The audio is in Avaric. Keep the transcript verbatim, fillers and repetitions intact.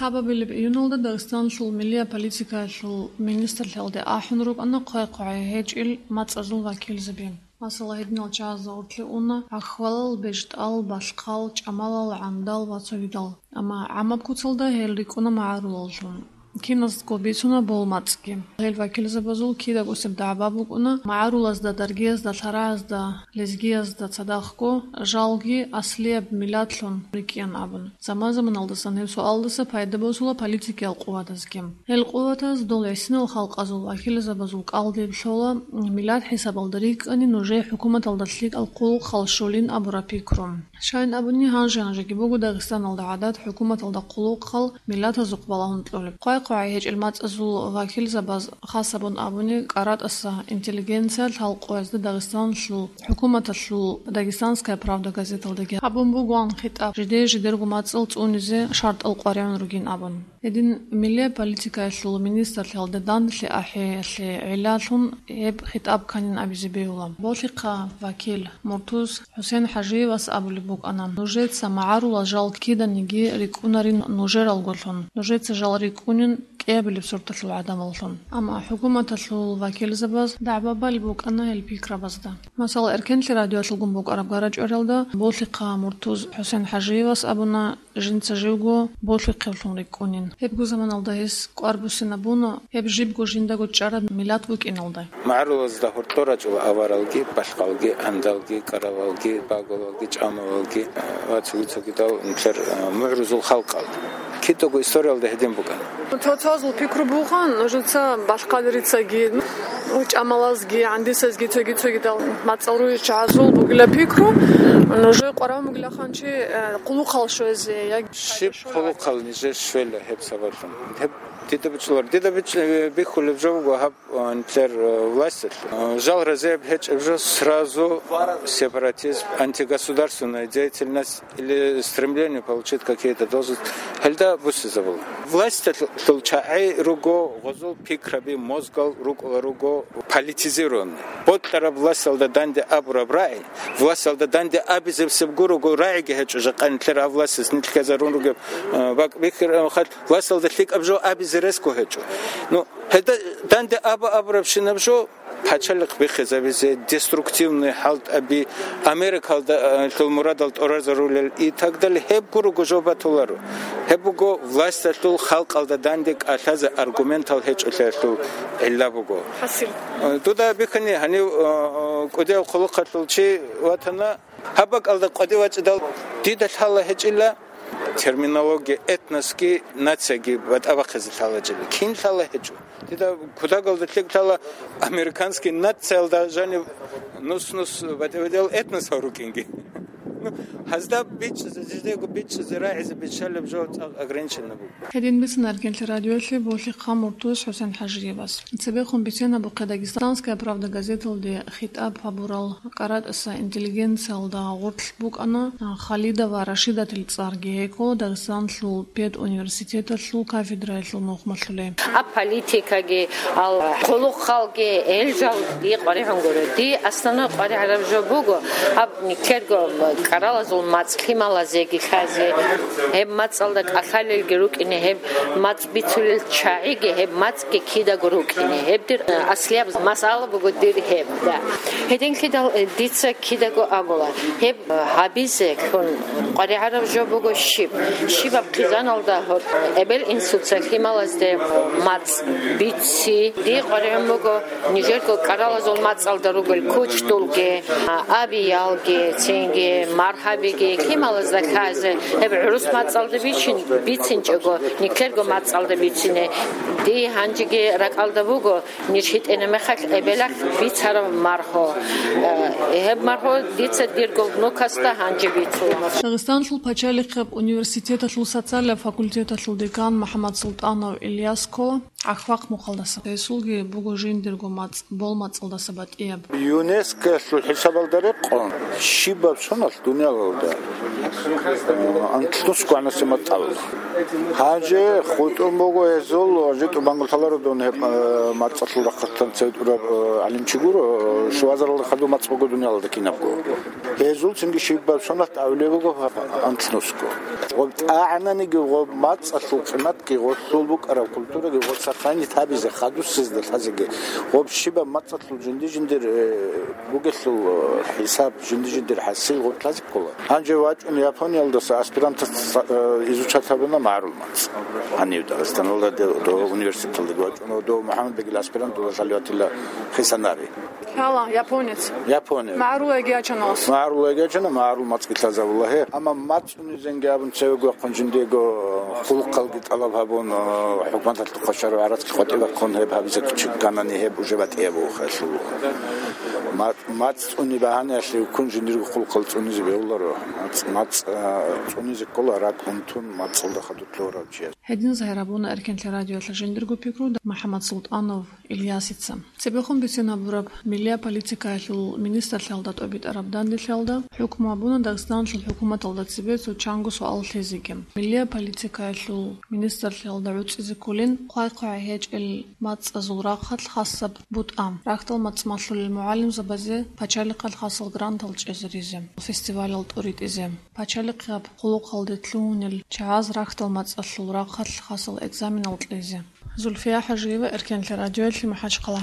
Лъабабилеб июналда Дагъистаналъул миллия политикаялъул министрлъиялде ахӀун рукӀана хъвай-хъвагӀай гьечӀел мацӀазул вакилзаби. Масала, гьединал чагӀазда гъорлъе уна гӀахьвалал, бежтӀал, балъхъал, чӀамалал, гӀандал ва цогидал. Амма гӀамаб куцалда гьел рикӀкӀуна магӀарулаллъун. Киназдаго бицуна бол мацӀги. Гьел вакилзабазул кидагосеб дагӀба букӀуна магӀарулазда, даргиязда, лъарагӀазда, лезгиязда цадахъго жалги аслияб миллатлъун рикӀкӀин абун. Заман-заманалдасан гьеб суалдаса пайда босула политикиял къуватазги. Гьел къуватаз дол гӀисинал халкъазул вакилзабазул кӀалдиб лъола, миллат хӀисабалда рикӀкӀани нужее хӀукуматалда лъикӀал хъулухъал щолин абураб пикру. Щайин абуни, гьанже-гьанжеги буго Дагъистаналда гӀадат хӀукуматалда хъулухъал миллатазухъ балагьун кьолеб. Хъвай-хъвагӀай гьечӀел мацӀазул вакилзабаз, хас гьабун абуни, КӀаратӀаса интеллигенция лъал къоязда Дагъистаналъул хӀукуматалъул «Дагестанская правда» газеталдаги гьабун бугоан хитӀаб, жидее-жидерго мацӀал цӀунизе шартӀал къваригӀун ругин абун. Гьедин, миллия политикаялъул министрлъиялда данделъи ахӀиялъе гӀиллалъун гьеб хитӀаб кканин абизе бегьула. Болъихъа вакил Муртуз ХӀусен ХӀажиевас абулеб букӀана: «Нужеца магӀарулал жал киданиги рикӀкӀунарин нужералгоялъун, нужеца жал рикӀкӀунин кӀиабилеб сорталъул гӀадамаллъун». Амма хӀукуматалъул вакилзабаз дагӀба балеб букӀана гьел пикрабазда. Масала, Эркенлъи радиоялъулгун букӀараб гара-чӀвариялда Болъихъа Муртуз ХӀусен ХӀажиевас абуна, жинца живго болъихъевлъун рикӀкӀунин. Гьебго заманалда гьес кӀвар буссинабуна, гьеб жибго жиндаго чӀараб миллат букӀиналда. МагӀарулазда гьоркьор рачӀула аваралги, балъхъалги, гӀандалги, кӀаралалги, багулалги, чӀамалалги ва цоги-цогидал нилъер, а, мугӀрузул халкъал. Кидаго историялда гьедин букӀана. Цо-цоазул пикру бугоан, нужеца балъхъалрицаги, ну, чӀамалазги, гӀандисазги, цоги-цогидал мацӀал ругел чагӀазул бугила пикру, нужее къваригӀун бугилаха чи, э, хъулухъал щвезе, я... Щиб хъулухъал нижер щвела гьеб сабаблъун? Гьеб дида бичӀчӀулар. Дида бич-, бихьулеб жо буго гьаб, а, нилъер, а, власталъ. А, жал разияб гьечӀеб жо сразу сепаратизм, антигосударственная деятельность или стремление получить какие-то должности, гьелда буссизабула. Власталъул чагӀи руго гъозул пикраби, мозгал рукӀула руго политизированный. Бокьараб власталда данде абураб рагӀи, власталда данде абизебсеб гуруго рагӀиги гьечӀо, жакъа нилъер гьав властас нилъ ккезарун ругеб, э, бакӀ бихьараб мехалъ власталда лъикӀаб жо абизе ресго гьечӀо. Ну, гьелда данде аба абурабщинаб жо пачалихъ биххизабизе, деструктивный хӀалтӀаби, Америкалда, э, лъул мурадал тӀорарзарулел и так далее, гьеб гуруго жо батуларо. Гьеб буго власталъул халкъалда данде кӀалъазе аргументал гьечӀолъиялъул гӀилла буго. ХӀасил. Дуда бихьани, гьанив, э, э, кӀудияв хъулухъалъул чи ватана, гьаб бакӀалда къватӀив вачӀидал, дида лъала гьечӀила терминология этносги нацияги батӀа бахъизе лъала гьечӀила. Кин лъала гьечӀо? Дида кутагалда лъикӀ лъала американский нациялда жанив нус-нус батӀи-батӀиял этносал рукӀинги. Ну, гьазда бичӀчӀизе, жидего бичӀчӀизе, рагӀизе биччалеб жо цӀакъ ограниченно буго. Гьедин бицана Эркенлъи радиоялъе Болъихъа Муртуз ХӀусен ХӀажиевас. Цебехун бицинабухъе «Дагестанская правда» газеталде хитӀаб гьабурал КӀаратӀаса интеллигенциялда гъорлъ букӀана Халидова Рашидатил цӀарги, гьей ккола Дагестанлъул педуниверситеталъул кафедраялъул мухӀмалъулей. А политикаги, ал хъулухъалги, гьел жал дие къваригӀун гуро. Дие основной къваригӀараб жо буго, гьаб нилъерго кӀаралазул мацӀ лъималазеги лъазе, гьеб мацӀалда кӀалъалелги рукӀине, гьеб мацӀ бицулел чагӀиги, гьеб мацӀги кидаго рукӀине. Гьеб дир, э, аслияб масъала буго дир гьеб, да. Гьединлъидал, э, дица кидаго абула, гьеб, э, гьабизе лъун къваригӀараб жо буго щиб? Щибаб хъизаналда гьоркь эбел-инсуца лъималазде мацӀ бици? Дие къваригӀун буго нижерго кӀаралазул мацӀалда ругел кучдулги, а, абиялги, цинги маргьабиги, лъималазда лъазе, гьеб гӀурус мацӀалда бичин, бицинчӀого, нилъерго мацӀалда бицине. Дие гьанжеги ракӀалда буго, ниж гьитӀина мехалъ эбелалъ бицараб маргьу. Э, гьеб маргьу дица дирго внукасда гьанже бицула. Дагъистанлъул пачалихъаб университеталъул социалияб факультеталъул декан МухӀаммад Султанов Ильяс ккола ГӀахьвахъ мухъалдаса. Гьесулги буго жиндирго мацӀ, бол мацӀалдаса батӀияб. ЮНЕСКОялъул хӀисабалда рекъон, щибаб соналъ Дуниялалда, э, анлънусго гӀанасеб мацӀ абула. Гьанже хутӀун буго гьезул, житӀу бангулъаларо дун гьеб, э, мацӀалъул рахъалъан цеве тӀураб, э, гӀалимчи гуро, э, шувазаралда хадуб мацӀ буго дуниялалда кинабго. Гьезул цинги щибаб сонат абулеб буго анлънусго. Гъоб тӀагӀананиги гъоб мацӀалъул къиматги гъолъул букӀараб культураги гъоб сохранить гьабизе, хадусезда лъазеги, гъоб щибаб мацӀалъул жинди-жиндир, э, бугелъул, э, хӀисаб, жинди-жиндир хӀасил гъоб лъазе ккола. Гьанже вачӀун Япониялдаса аспирантас, э, изучать гьабуна магӀарул мацӀ. Гьанив Дагъистаналда де-, дов университеталдаги вачӀун, дов МухӀаммадбегил аспиранталда лъалеватила Хисанари. Лъала, японец. Япония. МагӀарул эгечаналас. МагӀарул эгечана, магӀарул мацӀги лъазабула гьеб. Амма мацӀ цӀунизенги абун цевего вахъун жиндиего хъулухъалги тӀалаб гьабун, хӀукуматалъухъа шаргӀ гӀарацги къватӀиб бахъун гьеб гьабизе кучи кканани, гьеб уже батӀияб вухелъул. Ма-, мацӀ цӀуни багьаниялъе вуккун жиндирго хъулухъал цӀунизе бегьуларо. МацӀ, мацӀ, а, цӀунизе ккола ракӀ унтун мацӀалда хадур лъугьарав чияс. Гьединаз гьарабуна Эркенлъи радиоялъ жиндирго пикру МухӀаммад Султанов Ильясица. Цебехун бицинабураб миллият политикаялъул министрлъиялда тӀобитӀараб данделъиялда хӀукму гьабуна Дагъистаналъул хӀукуматалда цебе цо чанго суал лъезеги. Миллият политикаялъул министрлъиялда гӀуцӀизе кколин хъвай-хъвай гьечӀел мацӀазул рахъалъ хасаб бутӀа, рахьдал мацӀ малъулел мугӀалимзабазе пачалихъалъ хасал грантал чӀезаризе, фестивалал тӀоритӀизе, пачалихъаб хъулухъалде лъугьунел чагӀаз рахьдал мацӀалъул рахъалъ хасал экзаменал кьезе. Зульфия ХӀажиева, Эркенлъи радиоялъе, МахӀачхъала.